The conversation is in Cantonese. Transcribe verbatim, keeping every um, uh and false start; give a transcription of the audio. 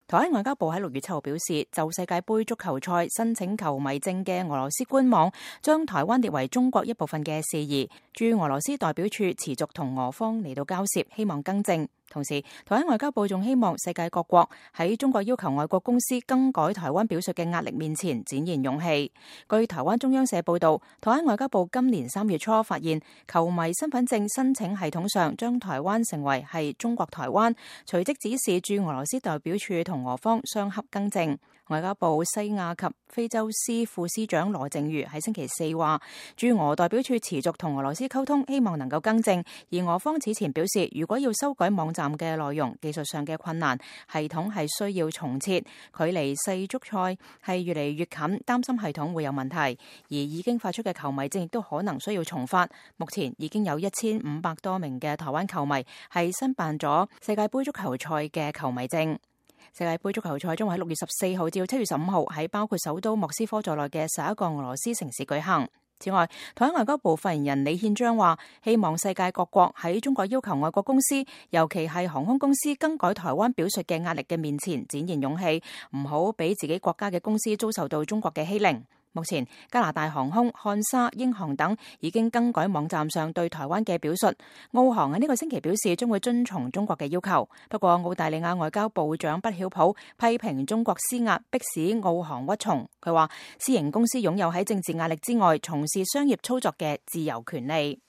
台灣外交部喺六月七號表示，就世界盃足球賽申請球迷證嘅俄羅斯官網將台灣列為中國一部分嘅事宜，駐俄羅斯代表處持續同俄方嚟到交涉，希望更正。同時，台灣外交部仲希望世界各國喺中國要求外國公司更改台灣表述嘅壓力面前展現勇氣。據台灣中央社報道，台灣外交部今年三月初發現球迷身份證申請系統上將台灣成為係中國台灣，隨即指示駐俄羅斯代表處同俄方相合更正。外交部西亞及非洲司副司長羅靜瑜喺星期四話，駐俄代表處持續同俄羅斯溝通，希望能夠更正。而俄方此前表示，如果要修改網站嘅內容，技術上嘅困難，系統係需要重設，距離世足賽係越嚟越近，擔心系統會有問題。而已經發出嘅球迷證亦都可能需要重發。目前已經有一千五百多名嘅台灣球迷係申辦咗世界盃足球賽嘅球迷證。世界盃足球賽將會喺六月十四號至七月十五號喺包括首都莫斯科在內嘅十一個俄羅斯城市舉行。此外，台灣外交部發言人李憲章話，希望世界各國喺中國要求外國公司，尤其係航空公司更改台灣表述嘅壓力嘅面前展現勇氣，唔好俾自己國家嘅公司遭受到中國嘅欺凌。目前，加拿大航空、漢莎、英航等已經更改網站上對台灣嘅表述。澳航喺呢個星期表示將會遵從中國嘅要求。不過，澳大利亞外交部長畢曉普批評中國施壓，迫使澳航屈從。佢話，私營公司擁有喺政治壓力之外從事商業操作嘅自由權利。